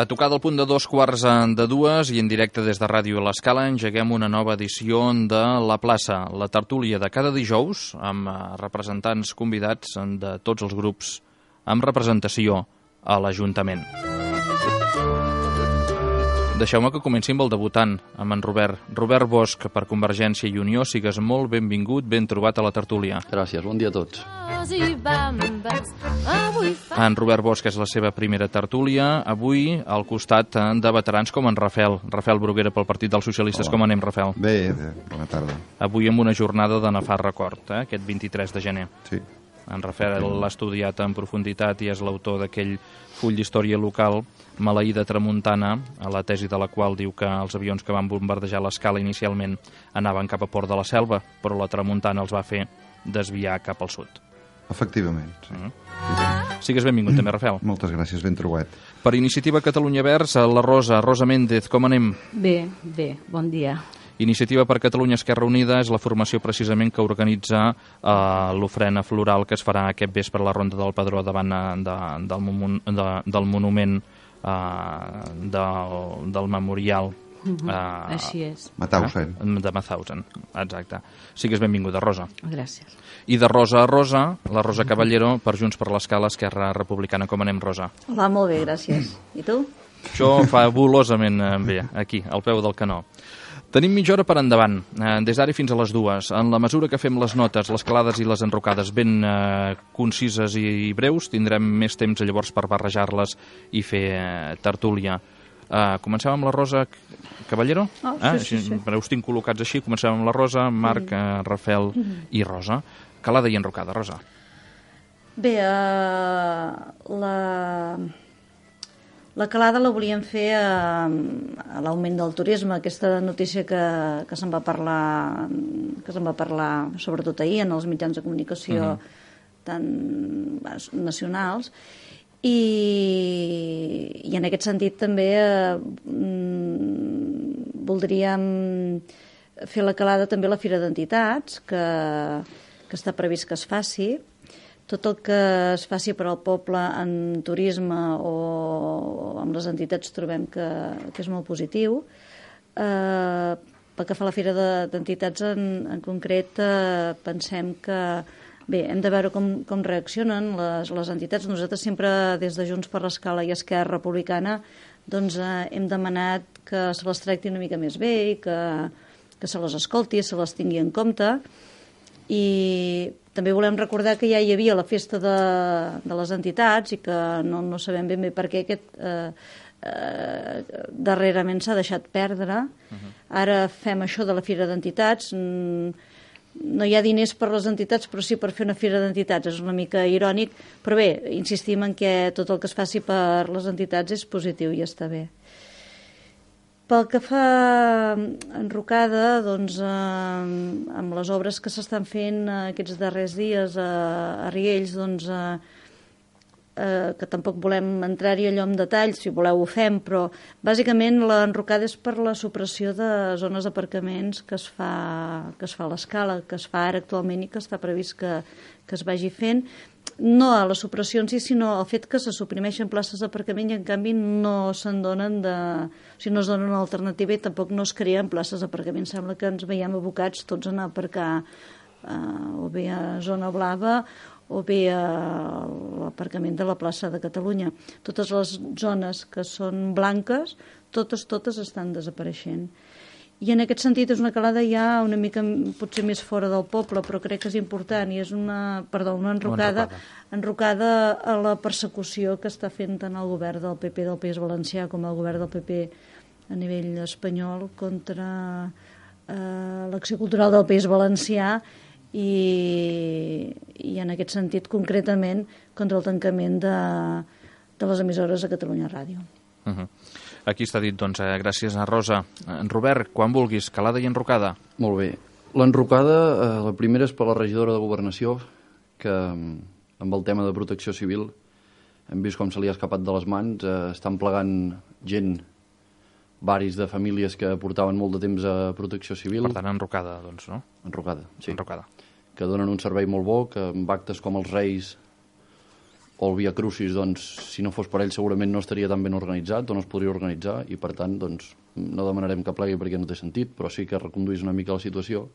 A tocar del punt de 2:15 i en directe des de Ràdio L'Escala engeguem una nova edició de La Plaça, la tertúlia de cada dijous amb representants convidats de tots els grups amb representació a l'Ajuntament. Deixeu-me que comenci amb el debutant, amb en Robert. Robert Bosch, per Convergència i Unió, sigues molt benvingut, ben trobat a la tertúlia. Gràcies, bon dia a tots. En Robert Bosch és la seva primera tertúlia, avui al costat de veterans com en Rafael Bruguera pel Partit dels Socialistes. Hola. Com anem, Rafael? Bé, bona tarda. Avui amb una jornada de nefast record, aquest 23 de gener. Sí. En Rafael l'ha estudiat en profunditat i és l'autor d'aquell full d'història local, Maleïda Tramuntana, a la tesi de la qual diu que els avions que van bombardejar l'Escala inicialment anaven cap a Port de la Selva, però la Tramuntana els va fer desviar cap al sud. Efectivament, sí. Sigues benvingut també, Rafael. Moltes gràcies, ben trobat. Per Iniciativa Catalunya Verds, la Rosa Méndez, com anem? Bé, bon dia. Iniciativa per Catalunya Esquerra Unida és la formació precisament que organitza l'ofrena floral que es farà aquest vespre a la Ronda del Pedró davant del monument del memorial. Així és. Mauthausen. De Mauthausen, exacte. Sigues benvinguda, Rosa. Gràcies. I de Rosa a Rosa, la Rosa Caballero, per Junts per l'Escala, Esquerra Republicana. Com anem, Rosa? Hola, molt bé, gràcies. I tu? Això fabulosament bé, aquí, al peu del canó. Tenim mitja hora per endavant, des d'ara fins a les 2. En la mesura que fem les notes, les calades i les enrocades ben concises i breus, tindrem més temps llavors per barrejar-les i fer tertúlia. Comencem amb la Rosa Caballero? Sí. Però us tinc col·locats així. Comencem amb la Rosa, Marc, Rafael i Rosa. Calada i enrocada, Rosa. Bé, la calada la volíem fer a l'augment del turisme, aquesta notícia que se'n va parlar sobretot ahir en els mitjans de comunicació tan nacionals, i en aquest sentit també voldríem fer la calada també a la Fira d'Entitats, que està previst que es faci. Tot el que es faci per al poble en turisme o amb les entitats trobem que és molt positiu. Pel que fa a la Fira d'Entitats en concret, pensem que bé, hem de veure com reaccionen les entitats. Nosaltres sempre, des de Junts per l'Escala i Esquerra Republicana, doncs, hem demanat que se les tracti una mica més bé i que se les escolti, se les tingui en compte. I també volem recordar que ja hi havia la festa de les entitats i que no sabem ben bé per què aquest darrerament s'ha deixat perdre. Ara fem això de la Fira d'Entitats. No hi ha diners per les entitats, però sí per fer una Fira d'Entitats. És una mica irònic, però bé, insistim en que tot el que es faci per les entitats és positiu i està bé. Pel que fa enrocada, doncs, amb les obres que s'estan fent aquests darrers dies a Riells, doncs, que tampoc volem entrar-hi allò en detall, si voleu ho fem, però bàsicament l'enrocada és per la supressió de zones d'aparcaments que es fa a l'Escala, que es fa ara actualment i que està previst que es vagi fent. No a la supressió en si, sinó al fet que se suprimeixen places d'aparcament i en canvi no se'n donen no es donen una alternativa i tampoc no es creen places d'aparcament. Sembla que ens veiem abocats tots a anar a aparcar o bé a Zona Blava o bé a l'aparcament de la plaça de Catalunya. Totes les zones que són blanques, totes estan desapareixent. I en aquest sentit és una calada ja una mica potser més fora del poble, però crec que és important, i és una enrocada a la persecució que està fent tant el govern del PP del País Valencià com el govern del PP a nivell espanyol contra l'acció cultural del País Valencià i en aquest sentit concretament contra el tancament de les emissores a Catalunya Ràdio. Aquí està dit, doncs, gràcies a Rosa. En Robert, quan vulguis, calada i enrocada. Molt bé. L'enrocada, la primera és per la regidora de Governació, que amb el tema de protecció civil hem vist com se li ha escapat de les mans, estan plegant gent, varis de famílies que portaven molt de temps a Protecció Civil. Per tant, enrocada, doncs, no? Enrocada, sí. Enrocada. Que donen un servei molt bo, que amb actes com els Reis o el Via Crucis, doncs, si no fos per ell segurament no estaria tan ben organitzat o no es podria organitzar, i per tant doncs, no demanarem que plegui perquè no té sentit, però sí que reconduís una mica la situació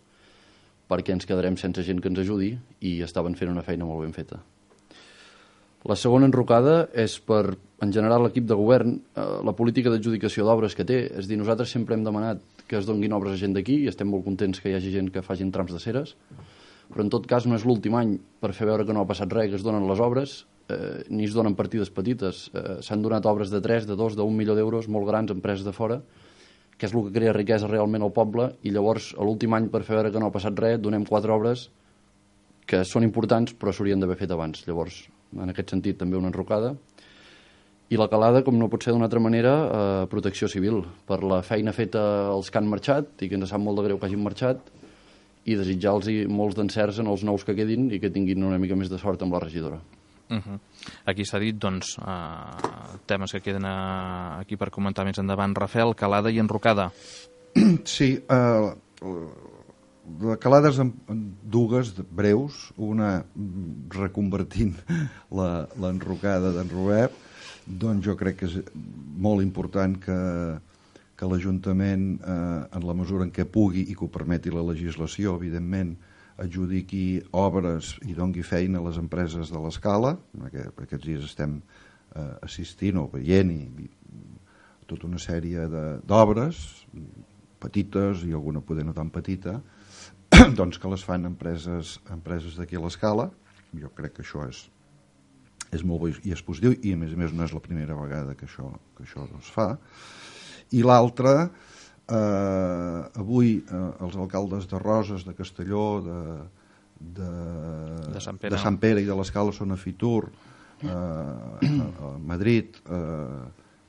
perquè ens quedarem sense gent que ens ajudi, i estaven fent una feina molt ben feta. La segona enrocada és per, en general, l'equip de govern, la política d'adjudicació d'obres que té. És a dir, nosaltres sempre hem demanat que es donguin obres a gent d'aquí i estem molt contents que hi hagi gent que facin trams de ceres, però en tot cas no és l'últim any per fer veure que no ha passat res que es donen les obres, ni es donen partides petites. S'han donat obres de 3, de 2, d'1 milió d'euros, molt grans, empreses de fora, que és el que crea riquesa realment al poble, i llavors a l'últim any, per fer veure que no ha passat res, donem 4 obres que són importants però s'haurien d'haver fet abans. Llavors, en aquest sentit, també una enrocada. I la calada, com no pot ser d'una altra manera, Protecció Civil, per la feina feta als que han marxat i que ens sap molt de greu que hagin marxat, i desitjar-los molts d'encerts en els nous que quedin i que tinguin una mica més de sort amb la regidora. Aquí s'ha dit, doncs, temes que queden aquí per comentar més endavant. Rafael, calada i enrocada. Sí, de calades en dues breus, una reconvertint l'enrocada d'en Robert, doncs jo crec que és molt important que l'Ajuntament, en la mesura en què pugui i que ho permeti la legislació, evidentment, adjudiqui obres i dongui feina a les empreses de l'Escala. Aquests dies estem assistint o veient tota una sèrie d'obres petites i alguna poder no tan petita, doncs que les fan empreses d'aquí a l'Escala. Jo crec que això és molt bo i és positiu, i a més no és la primera vegada que això es fa. I l'altra, avui els alcaldes de Roses, de Castelló, de Sant Pere i de l'Escala són a Fitur, a Madrid,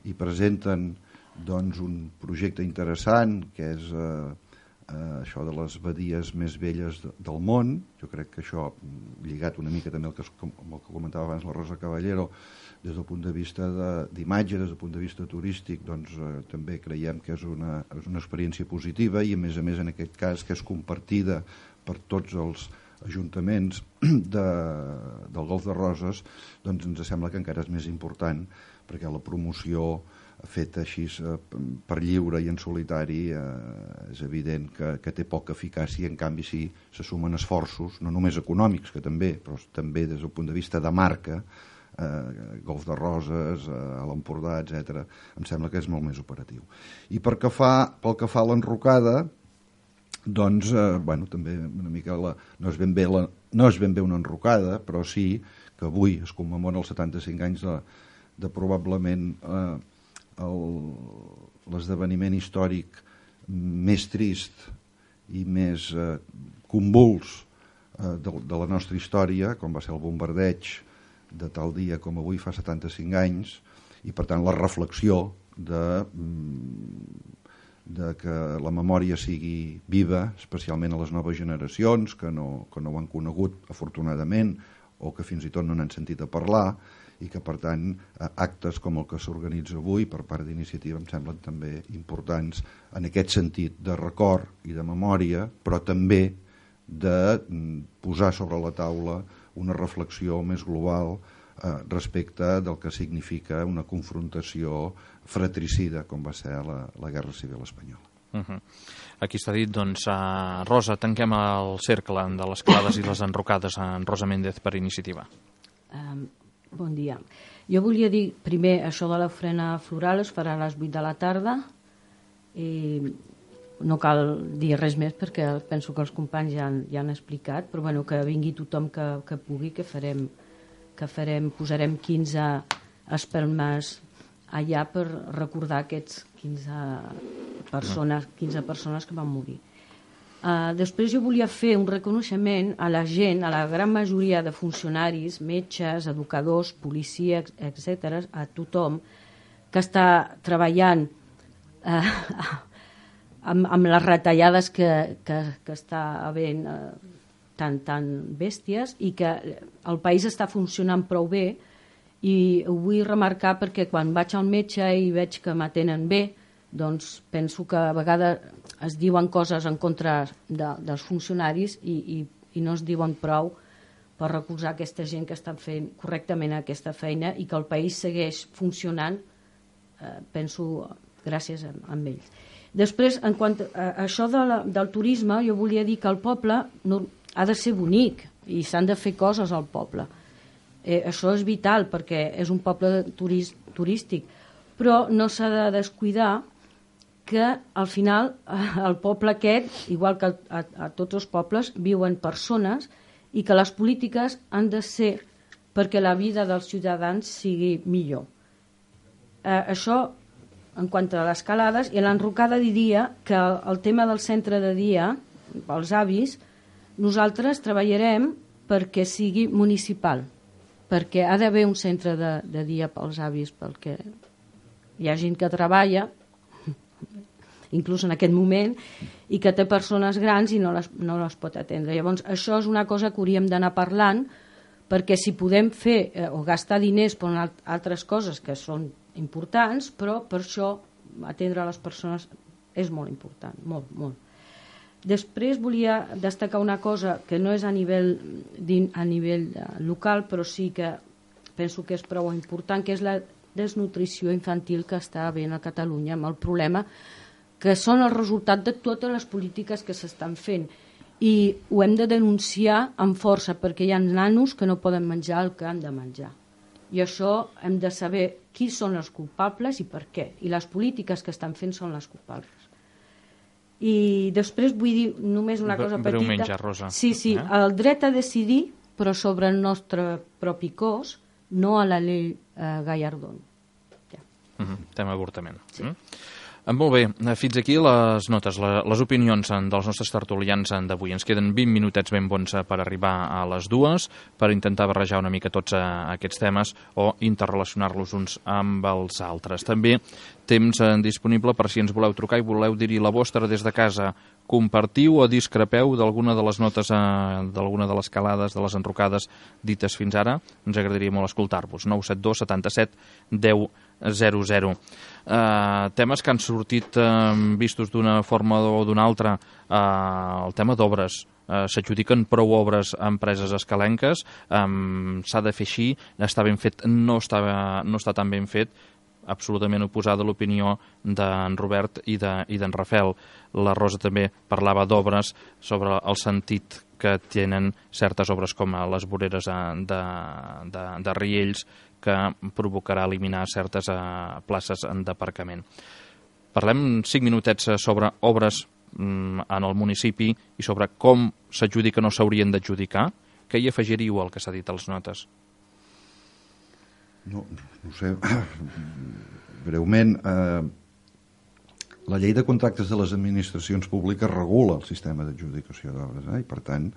i presenten doncs un projecte interessant que és això de les badies més velles del món. Jo crec que això, lligat una mica també amb el que comentava abans la Rosa Caballero, des del punt de vista d'imatge, des del punt de vista turístic, doncs també creiem que és una experiència positiva, i a més en aquest cas que és compartida per tots els ajuntaments del Golf de Roses, doncs ens sembla que encara és més important, perquè la promoció feta així per lliure i en solitari és evident que té poca eficàcia. En canvi, si se sumen esforços, no només econòmics, que també, però també des del punt de vista de marca, Golf de Roses, a l'Empordà, etc., em sembla que és molt més operatiu. I pel que fa a l'enrocada, doncs, també una mica no és ben bé una enrocada, però sí que avui es commemoren els 75 anys de probablement l'esdeveniment històric més trist i més convuls de la nostra història, com va ser el bombardeig de tal dia com avui fa 75 anys, i per tant la reflexió de que la memòria sigui viva, especialment a les noves generacions que no ho han conegut afortunadament, o que fins i tot no n'han sentit a parlar, i que per tant actes com el que s'organitza avui per part d'Iniciativa em semblen també importants en aquest sentit de record i de memòria, però també de posar sobre la taula una reflexió més global respecte del que significa una confrontació fratricida com va ser la Guerra Civil Espanyola. Aquí s'ha dit, doncs, Rosa, tanquem el cercle de les calades i les enrocades en Rosa Méndez per Iniciativa. Bon dia. Jo volia dir primer això de l'ofrena floral es farà a les 8 de la tarda, i no cal dir res més perquè penso que els companys ja han explicat, però bueno, que vingui tothom que pugui, que posarem 15 espelmes allà per recordar aquests 15 persones que van morir. Després jo volia fer un reconeixement a la gent, a la gran majoria de funcionaris, metges, educadors, policies, etc., a tothom que està treballant amb les retallades que està havent tan bèsties, i que el país està funcionant prou bé I ho vull remarcar perquè quan vaig al metge i veig que m'atenen bé, doncs penso que a vegades es diuen coses en contra dels funcionaris i no es diuen prou per recolzar aquesta gent que està fent correctament aquesta feina i que el país segueix funcionant, penso, gràcies a ells. Després, en quant a això del turisme, jo volia dir que el poble ha de ser bonic i s'han de fer coses al poble. Això és vital perquè és un poble turístic, però no s'ha de descuidar que al final al poble aquest, igual que a tots els pobles, viuen persones i que les polítiques han de ser perquè la vida dels ciutadans sigui millor. Això en quant a les calades, i a l'enrocada diria que el tema del centre de dia, pels avis, nosaltres treballarem perquè sigui municipal, perquè ha d'haver un centre de dia pels avis, perquè hi ha gent que treballa, inclús en aquest moment, i que té persones grans i no les pot atendre. Llavors, això és una cosa que hauríem d'anar parlant, perquè si podem fer o gastar diners per altres coses que són importants, però per això atendre les persones és molt important, molt, molt. Després volia destacar una cosa que no és a nivell local, però sí que penso que és prou important, que és la desnutrició infantil que està havent a Catalunya, amb el problema que són el resultat de totes les polítiques que s'estan fent. I ho hem de denunciar amb força, perquè hi ha nanos que no poden menjar el que han de menjar. I això hem de saber qui són els culpables i per què. I les polítiques que estan fent són les culpables. I després vull dir només una cosa petita. Breument ja, Rosa. Sí, el dret a decidir, però sobre el nostre propi cos, no a la llei Gallardón. Ja. Tema avortament. Sí. Molt bé, fins aquí les notes, les opinions dels nostres tertulians d'avui. Ens queden 20 minutets ben bons per arribar a les 2, per intentar barrejar una mica tots aquests temes o interrelacionar-los uns amb els altres. També temps disponible per si ens voleu trucar i voleu dir-hi la vostra des de casa. Compartiu o discrepeu d'alguna de les notes, d'alguna de les calades, de les enrocades dites fins ara. Ens agradaria molt escoltar-vos. 972 77 10 00. Temes que han sortit vistos d'una forma o d'una altra. El tema d'obres. S'adjudiquen prou obres a empreses escalenques. S'ha de fer així. Està ben fet, no està tan ben fet. Absolutament oposada a l'opinió d'en Robert i d'en Rafael. La Rosa també parlava d'obres sobre el sentit que tenen certes obres com les voreres de Riells, que provocarà eliminar certes places d'aparcament. Parlem 5 minutets sobre obres en el municipi i sobre com s'adjudiquen o s'haurien d'adjudicar. Què hi afegiríeu al que s'ha dit a les notes? No sé, breument, la llei de contractes de les administracions públiques regula el sistema d'adjudicació d'obres, i per tant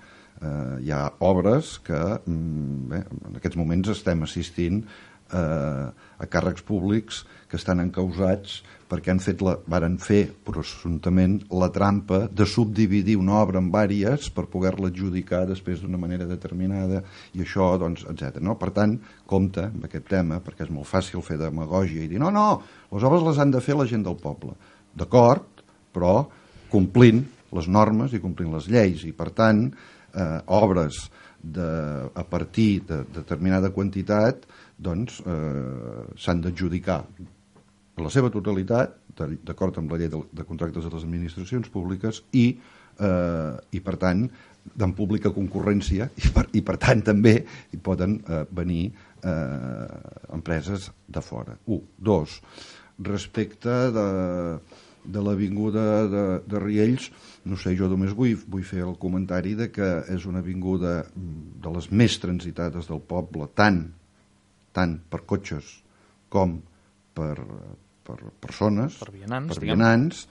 hi ha obres que en aquests moments estem assistint a càrrecs públics que estan encausats perquè varen fer presumptament la trampa de subdividir una obra en vàries per poder-la adjudicar després d'una manera determinada i això, doncs, etc. No? Per tant, compte amb aquest tema, perquè és molt fàcil fer demagògia i dir no, les obres les han de fer la gent del poble. D'acord, però complint les normes i complint les lleis i, per tant, obres a partir de determinada quantitat doncs s'han d'adjudicar en la seva totalitat, d'acord amb la llei de contractes de les administracions públiques i per tant en pública concurrència i per tant també hi poden venir empreses de fora. 1. 2. Respecte de l'avinguda de Riells, no sé, jo només vull fer el comentari de que és una avinguda de les més transitades del poble, tant per cotxes com per persones, per vianants,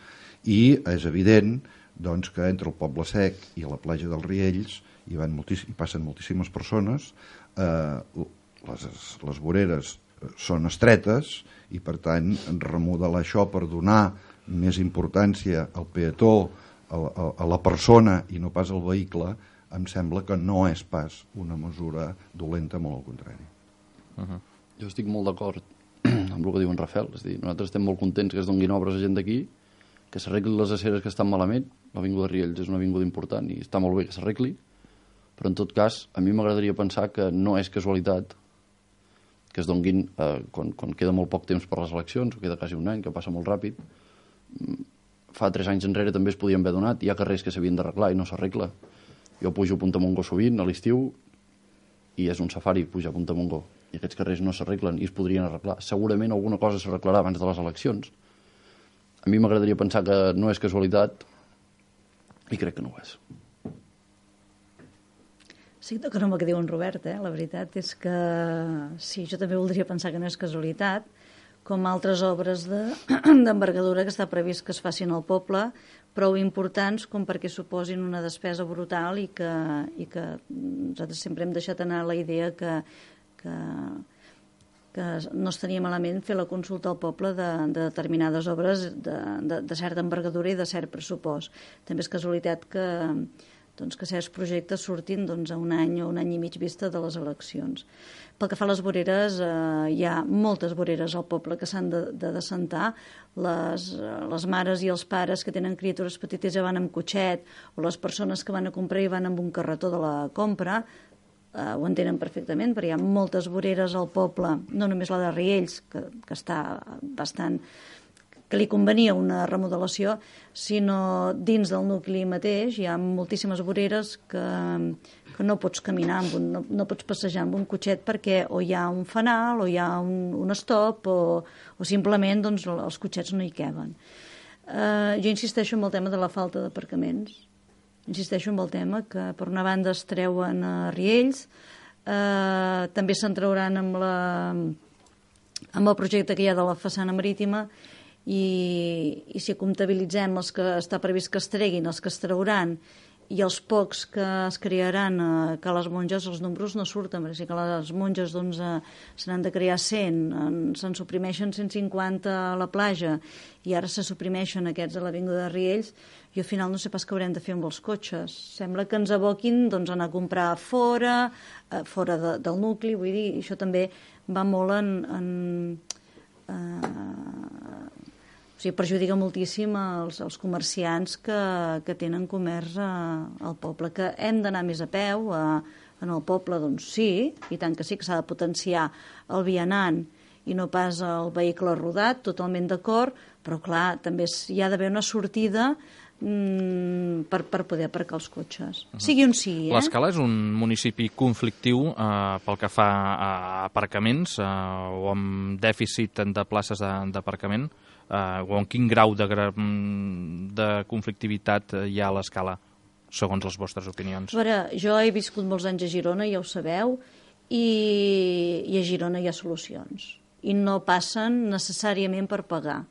i és evident doncs, que entre el Poble Sec i la platja dels Riells hi passen moltíssimes persones, les voreres són estretes i per tant remodelar això per donar més importància al peató, a la persona i no pas al vehicle, em sembla que no és pas una mesura dolenta, molt al contrari. Jo estic molt d'acord amb el que diu en Rafael. És a dir, nosaltres estem molt contents que es donguin obres a gent d'aquí, que s'arreglin les aceres que estan malament. L'avinguda Riells és una avinguda important i està molt bé que s'arregli, però en tot cas a mi m'agradaria pensar que no és casualitat que es donguin quan queda molt poc temps per les eleccions, o queda quasi un any, que passa molt ràpid. Fa 3 anys enrere també es podien haver donat. Hi ha carrers que s'havien d'arreglar i no s'arregla. Jo pujo a Puntamongó sovint a l'estiu i és un safari pujar a Puntamongó, i aquests carrers no s'arreglen i es podrien arreglar. Segurament alguna cosa s'arreglarà abans de les eleccions. A mi m'agradaria pensar que no és casualitat i crec que no ho és. Sí, que no el que diu en Robert, la veritat és que sí, jo també voldria pensar que no és casualitat, com altres obres d'envergadura que està previst que es facin al poble, prou importants com perquè suposin una despesa brutal i que nosaltres sempre hem deixat anar la idea que no estaria malament fer la consulta al poble de determinades obres de certa envergadura i de cert pressupost. També és casualitat que certs projectes surtin a un any o un any i mig vista de les eleccions. Pel que fa a les voreres, hi ha moltes voreres al poble que s'han de descentar. Les mares i els pares que tenen criatures petites ja van amb cotxet, o les persones que van a comprar i van amb un carretó de la compra, ho entenen perfectament, perquè hi ha moltes voreres al poble, no només la de Riells, que està bastant, que li convenia una remodelació, sinó dins del nucli mateix hi ha moltíssimes voreres que no pots caminar, no pots passejar amb un cotxet perquè o hi ha un fanal o hi ha un stop o simplement els cotxets no hi queben. Jo insisteixo en el tema de la falta d'aparcaments. Insisteixo en el tema que per una banda es treuen a Riells, també se'n trauran amb el projecte que hi ha de la façana marítima i si comptabilitzem els que està previst que es treguin, els que es trauran i els pocs que es crearan que les monges, els números no surten, perquè si que les monges se n'han de crear 100, se'n suprimeixen 150 a la platja i ara se suprimeixen aquests a l'avinguda de Riells, i al final no sé pas què haurem de fer amb els cotxes. Sembla que ens aboquin anar a comprar fora del nucli, vull dir, això també va molt o sigui, perjudica moltíssim els comerciants que tenen comerç al poble, que hem d'anar més a peu en el poble, doncs sí, i tant que sí que s'ha de potenciar el vianant i no pas el vehicle rodat, totalment d'acord, però clar, també hi ha d'haver una sortida per poder aparcar els cotxes. Sigui on sigui. L'Escala és un municipi conflictiu pel que fa a aparcaments o amb dèficit de places d'aparcament, o en quin grau de conflictivitat hi ha a l'Escala, segons les vostres opinions? A veure, jo he viscut molts anys a Girona, ja ho sabeu, i a Girona hi ha solucions. I no passen necessàriament per pagar.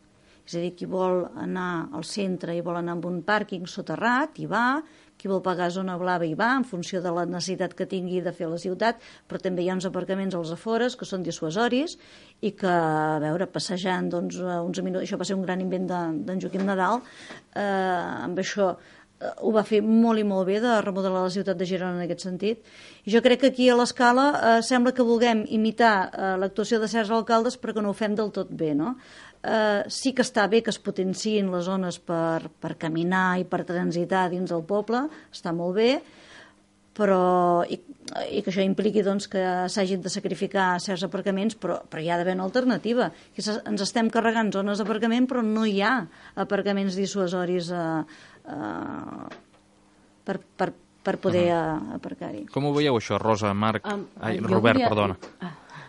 És a dir, qui vol anar al centre i vol anar amb un pàrquing soterrat, hi va, qui vol pagar zona blava hi va, en funció de la necessitat que tingui de fer a la ciutat, però també hi ha uns aparcaments als afores que són dissuasoris i que, a veure, passejant uns minuts, això va ser un gran invent d'en Joaquim Nadal, amb això ho va fer molt i molt bé de remodelar la ciutat de Girona en aquest sentit. I jo crec que aquí a l'Escala sembla que vulguem imitar l'actuació de certs alcaldes però que no ho fem del tot bé, no? Sí que està bé que es potenciïn les zones per caminar i per transitar dins del poble, està molt bé, però i que això impliqui que s'hagin de sacrificar certs aparcaments, però hi ha d'haver una alternativa. Ens estem carregant zones d'aparcament, però no hi ha aparcaments dissuasoris per poder aparcar-hi. Com ho veieu això, Rosa, Marc? Robert, perdona.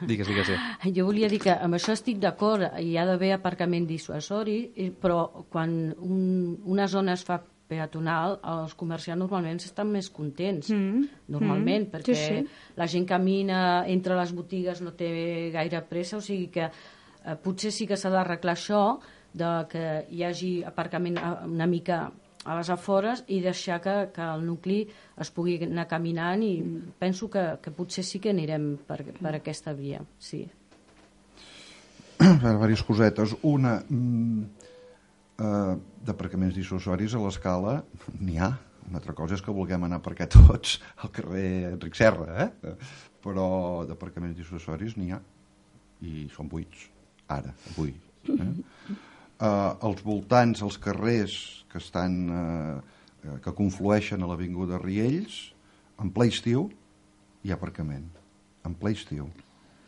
Digues. Jo volia dir que amb això estic d'acord, hi ha d'haver aparcament dissuasori, però quan una zona es fa peatonal, els comerciants normalment estan més contents, normalment, perquè la gent camina entre les botigues, no té gaire pressa, o sigui que potser sí que s'ha d'arreglar això, que hi hagi aparcament una mica a les afores i deixar que el nucli es pugui anar caminant, i penso que potser sí que anirem per aquesta via, sí. Diverses cosetes. Una, d'aparcaments dissuasoris a l'Escala n'hi ha. Una altra cosa és que vulguem anar a aparcar tots al carrer Enric Serra, però d'aparcaments dissuasoris n'hi ha. i són buits, ara, avui. Els voltants, els carrers que conflueixen a l'avinguda Riells, en ple estiu hi ha aparcament. En ple estiu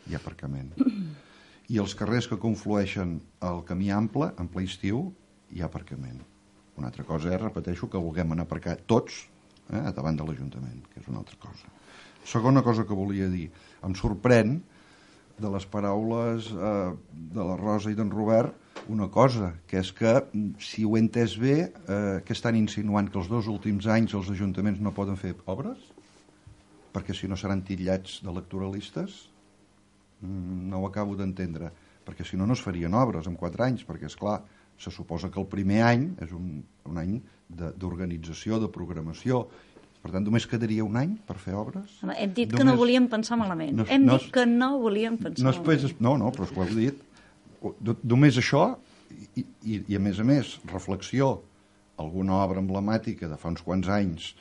hi ha aparcament. I els carrers que conflueixen al camí ample, en ple estiu, hi ha aparcament. Una altra cosa és, repeteixo, que vulguem anar a aparcar tots davant de l'Ajuntament, que és una altra cosa. Segona cosa que volia dir, em sorprèn de les paraules de la Rosa i d'en Robert una cosa, que és que, si ho he entès bé, que estan insinuant que els 2 últims anys els ajuntaments no poden fer obres? Perquè si no seran titllats d'electoralistes? No ho acabo d'entendre, perquè si no, no es farien obres en 4 anys, perquè, és clar, se suposa que el primer any és un any d'organització, de programació. Per tant, només quedaria un any per fer obres? Home, hem dit que no volíem pensar malament. Hem dit que no volíem pensar malament. No, però és que ho heu dit. Només això, i a més, reflexió, alguna obra emblemàtica de fa uns quants anys,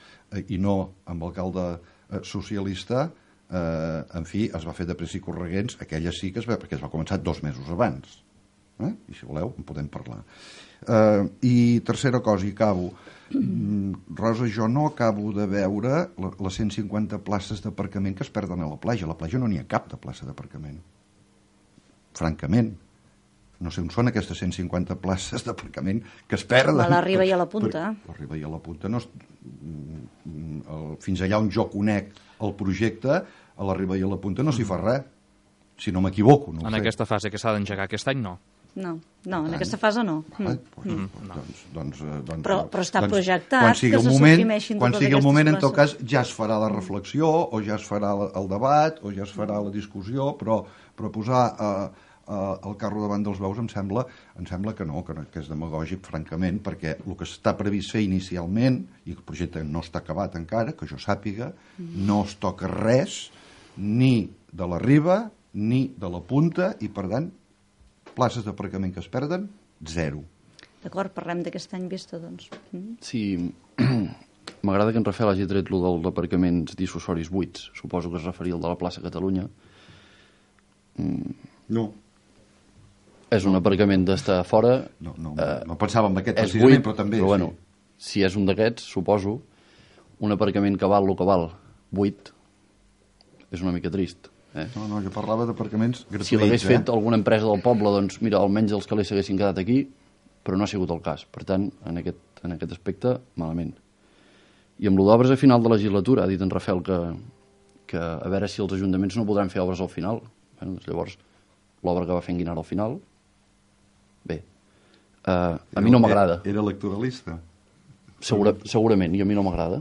i no amb l'alcalde socialista, en fi, es va fer de pressa i correguents, aquella sí que perquè es va començar 2 mesos abans. I si voleu, en podem parlar. I tercera cosa, i acabo. Rosa, jo no acabo de veure les 150 places d'aparcament que es perden a la platja. A la platja no n'hi ha cap de plaça d'aparcament. Francament. No sé on són aquestes 150 places d'aparcament que es perden. A la Riba i a la Punta. A la Riba i a la Punta. Fins allà on jo conec el projecte, a la Riba i a la Punta no s'hi fa res. Si no m'equivoco. En aquesta fase que s'ha d'engegar aquest any, no. No, en aquesta fase no. Però està doncs, projectat que se suprimeixin quan totes sigui el moment, en tot places. cas, ja es farà la reflexió, o ja es farà el debat, o ja es farà la discussió, però posar el carro davant dels bous em sembla que no, que és demagògic, francament, perquè el que està previst fer inicialment, i el projecte no està acabat encara, que jo sàpiga, no es toca res, ni de la Riba, ni de la Punta, i per tant, places d'aparcament que es perden, 0. D'acord, parlem d'aquest any vista, doncs. Sí, m'agrada que en Rafael hagi tret el d'aparcaments dissuasoris buits. Suposo que es referia al de la plaça Catalunya. No. És un aparcament d'estar fora. No pensava en aquest precisament, però també. Però bueno, si és un d'aquests, suposo, un aparcament que val el que val, buit, és una mica trist. No, jo parlava d'aparcaments gratuïts. Si l'hagués fet alguna empresa del poble, doncs mira, almenys els calés s'haguessin quedat aquí, però no ha sigut el cas. Per tant, en aquest aspecte, malament. I amb l'obres a final de legislatura, ha dit en Rafael que a veure si els ajuntaments no podran fer obres al final. Doncs llavors, l'obra que va fer en Guinar al final, bé, a mi no m'agrada. Era electoralista. Segurament, i a mi no m'agrada.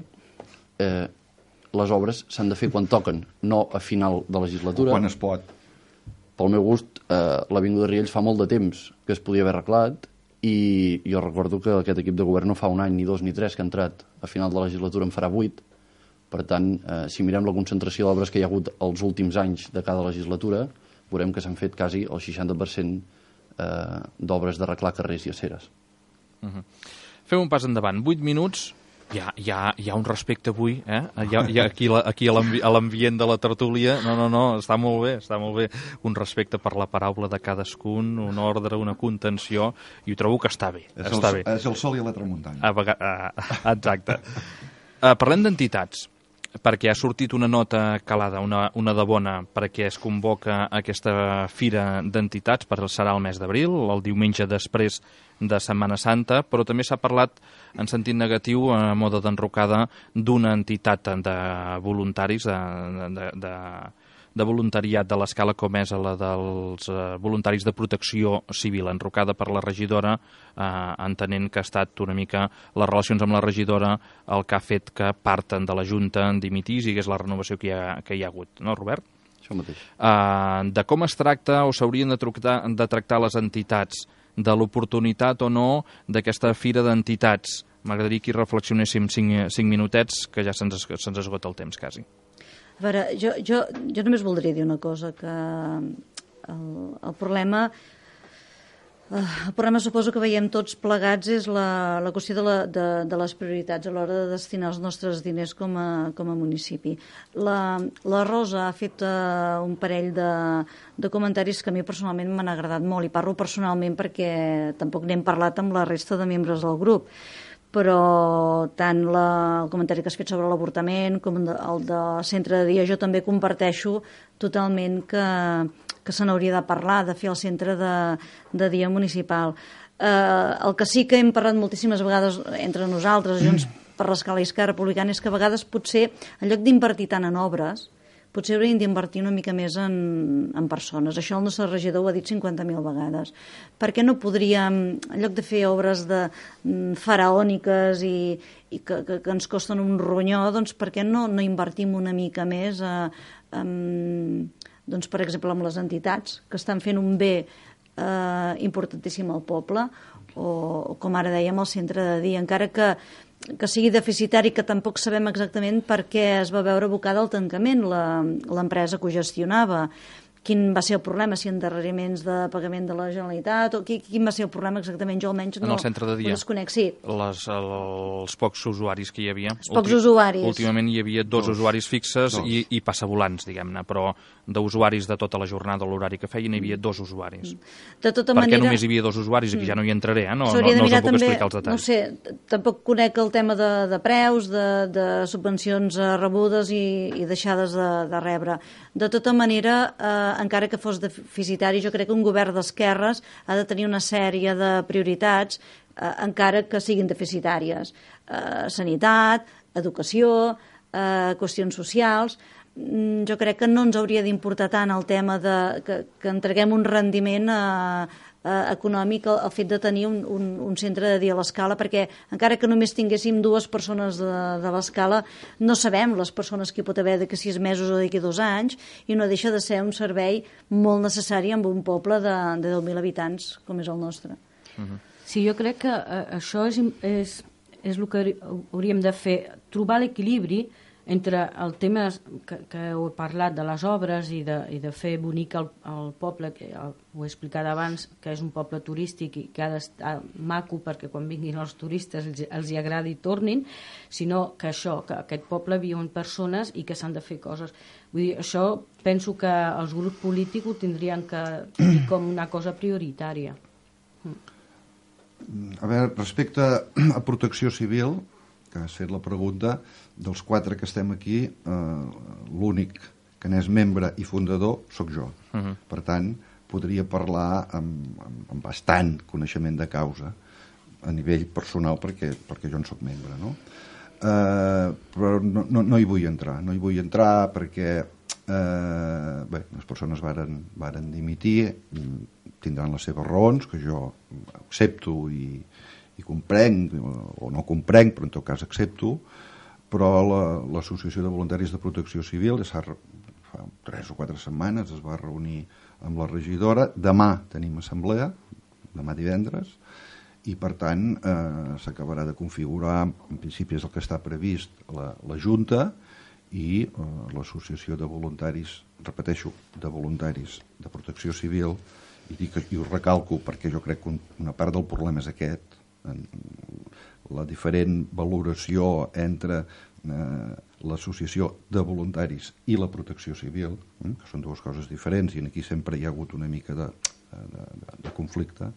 Les obres s'han de fer quan toquen, no a final de legislatura. Quan es pot. Pel meu gust, l'Avinguda Riells fa molt de temps que es podia haver arreglat, i jo recordo que aquest equip de govern no fa un any, ni 2, ni 3 que ha entrat a final de legislatura, en farà 8. Per tant, si mirem la concentració d'obres que hi ha hagut els últims anys de cada legislatura, veurem que s'han fet quasi el 60% d'obres d'arreglar carrers i aceres. Fem un pas endavant. 8 minuts... Hi ha un respecte avui, aquí a l'ambient de la tertúlia. No, està molt bé. Un respecte per la paraula de cadascun, un ordre, una contenció, i ho trobo que està bé. És el sol i la tramuntana. Exacte. Parlem d'entitats, perquè ha sortit una nota calada, una de bona, perquè es convoca aquesta fira d'entitats, serà el mes d'abril, el diumenge després de Setmana Santa, però també s'ha parlat en sentit negatiu, a mode d'enrocada, d'una entitat de voluntaris, de voluntariat de l'escala com és la dels voluntaris de protecció civil, enrocada per la regidora, entenent que ha estat una mica les relacions amb la regidora el que ha fet que parten de la Junta dimitís i que és la renovació que hi ha hagut. No, Robert? Això mateix. De com es tracta o s'haurien de tractar les entitats, de l'oportunitat o no d'aquesta fira d'entitats. M'agradaria que hi reflexionéssim 5 minutets, que ja se'ns esgota el temps, quasi. A veure, jo només voldria dir una cosa, que el problema El problema, suposo que veiem tots plegats, és la qüestió de les prioritats a l'hora de destinar els nostres diners com a municipi. La Rosa ha fet un parell de comentaris que a mi personalment m'han agradat molt, i parlo personalment perquè tampoc n'hem parlat amb la resta de membres del grup, però tant el comentari que has fet sobre l'avortament com el de centre de dia, jo també comparteixo totalment que se n'hauria de parlar, de fer el centre de dia municipal. El que sí que hem parlat moltíssimes vegades entre nosaltres, Junts per l'Escala i Esquerra Republicana, és que a vegades potser, en lloc d'invertir tant en obres, potser hauríem d'invertir una mica més en persones. Això el nostre regidor ho ha dit 50.000 vegades. Per què no podríem, en lloc de fer obres faraòniques i que ens costen un ronyó, doncs per què no invertim una mica més doncs, per exemple, amb les entitats que estan fent un bé importantíssim al poble, o com ara dèiem, el centre de dia, encara que sigui deficitari, que tampoc sabem exactament per què es va veure abocada al tancament l'empresa que ho gestionava. Quin va ser el problema, si endarreriments de pagament de la Generalitat, o quin va ser el problema exactament? Jo almenys no, en el centre de dia, no desconec, sí. Els pocs usuaris que hi havia. Els pocs usuaris. Últimament hi havia dos usuaris fixes i passavolants, diguem-ne, però d'usuaris de tota la jornada, l'horari que feien, hi havia dos usuaris. De tota per manera... què només hi havia dos usuaris? Aquí ja no hi entraré, no us S'hauria de mirar puc també, explicar els detalls. no sé, tampoc conec el tema de preus, de subvencions rebudes i deixades de rebre. De tota manera, encara que fos deficitari, jo crec que un govern d'esquerres ha de tenir una sèrie de prioritats, encara que siguin deficitàries. Sanitat, educació, qüestions socials. Jo crec que no ens hauria d'importar tant el tema que entreguem un rendiment econòmic al fet de tenir un centre de dia a l'Escala, perquè encara que només tinguéssim 2 persones de l'Escala, no sabem les persones que hi pot haver d'aquí 6 mesos o d'aquí 2 anys, i no deixa de ser un servei molt necessari en un poble de 10.000 habitants com és el nostre. Sí, jo crec que això és el que hauríem de fer, trobar l'equilibri entre el tema que heu parlat de les obres i de fer bonic el poble, que ho he explicat abans, que és un poble turístic i que ha d'estar maco perquè quan vinguin els turistes els hi agradi i tornin, sinó que que aquest poble viuen persones i que s'han de fer coses. Vull dir, això penso que els grups polítics ho tindrien que dir com una cosa prioritària. A veure, respecte a protecció civil, que has fet la pregunta, dels 4 que estem aquí, l'únic que n'és membre i fundador sóc jo. Per tant, podria parlar amb bastant coneixement de causa a nivell personal perquè jo en sóc membre, no? Però no hi vull entrar perquè les persones varen dimitir, tindran les seves raons, que jo accepto i comprenc, o no comprenc, però en tot cas accepto, però l'Associació de Voluntaris de Protecció Civil fa 3 o 4 setmanes es va reunir amb la regidora. Demà tenim assemblea, demà divendres, i per tant s'acabarà de configurar, en principi és el que està previst, la Junta i l'Associació de Voluntaris, repeteixo, de Voluntaris de Protecció Civil, i ho recalco perquè jo crec que una part del problema és aquest, la diferent valoració entre l'associació de voluntaris i la protecció civil, que són 2 coses diferents i aquí sempre hi ha hagut una mica de conflicte,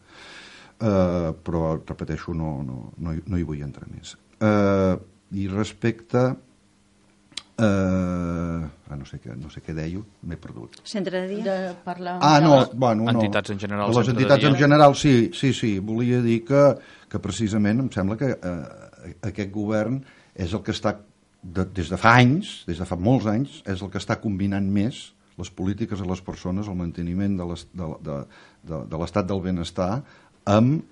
però repeteixo, no hi vull entrar més. I respecte no sé què deia, m'he perdut. Centre de dia? De parlar entitats en general. Les entitats en general, sí. Volia dir que precisament em sembla que aquest govern és el que està, des de fa anys, des de fa molts anys, és el que està combinant més les polítiques a les persones, el manteniment de l'estat del benestar amb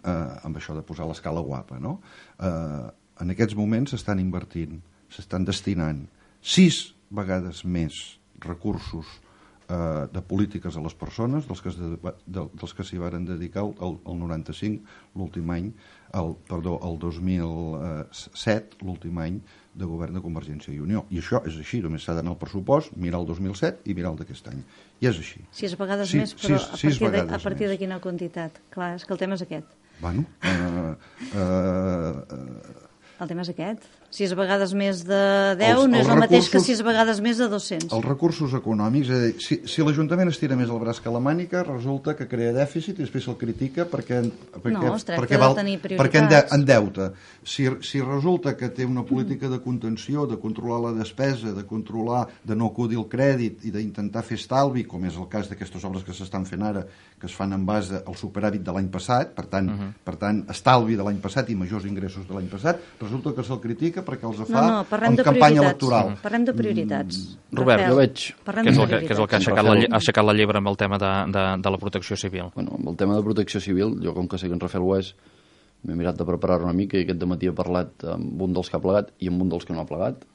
això de posar l'escala guapa, no? En aquests moments s'estan invertint, s'estan destinant 6 vegades més recursos de polítiques a les persones, dels que s'hi varen dedicar el 95, l'últim any, el 2007, l'últim any de govern de Convergència i Unió. I això és així, només s'ha d'anar al pressupost, mirar el 2007 i mirar el d'aquest any. I és així. 6 vegades més, però a partir de quina quantitat? Clar, és que el tema és aquest. Bueno, el tema és aquest. 6 vegades més de 10 no és el mateix que 6 vegades més de 200. Els recursos econòmics, és a dir, si l'Ajuntament estira més el braç que la mànica, resulta que crea dèficit i després se'l critica perquè endeuta. Si resulta que té una política de contenció, de controlar la despesa, de controlar, de no acudir al crèdit i d'intentar fer estalvi, com és el cas d'aquestes obres que s'estan fent ara, que es fan en base al superàvit de l'any passat, per tant, estalvi de l'any passat i majors ingressos de l'any passat, resulta que se'l critica perquè els fa en campanya electoral. Parlem de prioritats. Robert, jo veig... Què és el que ha aixecat la llebre amb el tema de la protecció civil? Bueno, amb el tema de protecció civil, jo com que sé que en Rafael ho és, m'he mirat de preparar una mica i aquest dematí he parlat amb un dels que ha plegat i amb un dels que no ha plegat.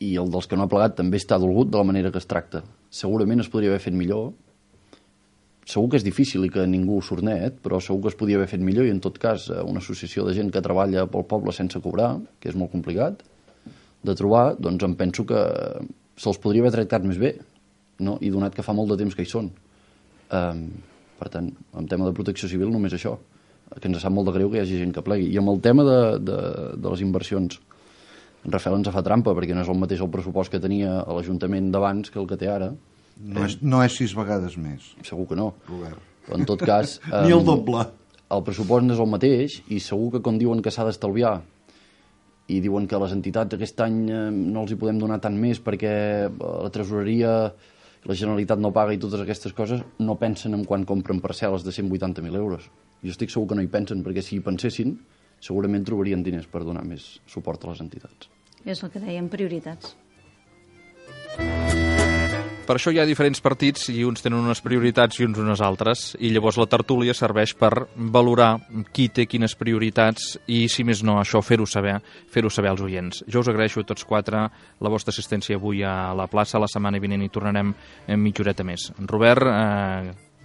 I el dels que no ha plegat també està dolgut de la manera que es tracta. Segurament es podria haver fet millor. Segur que és difícil i que ningú surt net, però segur que es podia haver fet millor i en tot cas una associació de gent que treballa pel poble sense cobrar, que és molt complicat de trobar, doncs em penso que se'ls podria haver tractat més bé, no? I donat que fa molt de temps que hi són. Per tant, en tema de protecció civil només això, que ens sap molt de greu que hi hagi gent que plegui. I amb el tema de les inversions, en Rafael ens fa trampa perquè no és el mateix el pressupost que tenia a l'Ajuntament d'abans que el que té ara. No és 6 vegades més. Segur que no. Robert. Però en tot cas... Ni el doble. El pressupost no és el mateix i segur que quan diuen que s'ha d'estalviar i diuen que les entitats aquest any no els hi podem donar tant més perquè la tresoreria, la Generalitat no paga i totes aquestes coses, no pensen en quan compren parcel·les de 180.000 euros. Jo estic segur que no hi pensen perquè si hi pensessin segurament trobarien diners per donar més suport a les entitats. És el que dèiem, prioritats. Per això hi ha diferents partits i uns tenen unes prioritats i uns unes altres, i llavors la tertúlia serveix per valorar qui té quines prioritats i, si més no, això fer-ho saber als oients. Jo us agraeixo a tots 4 la vostra assistència avui a la plaça. La setmana vinent hi tornarem en mitja horeta més. Robert,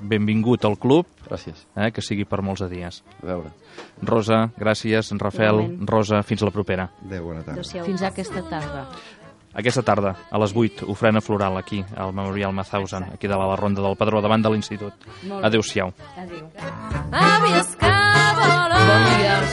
benvingut al club. Gràcies. Que sigui per molts de dies. A veure. Rosa, gràcies. Rafael, Rosa, fins a la propera. Adéu, bona tarda. Fins aquesta tarda. Aquesta tarda, a les 8, ofrena floral aquí, al Memorial Mauthausen, aquí de la Ronda del Pedró, davant de l'Institut. Adéu-siau. Adéu. Bon dia.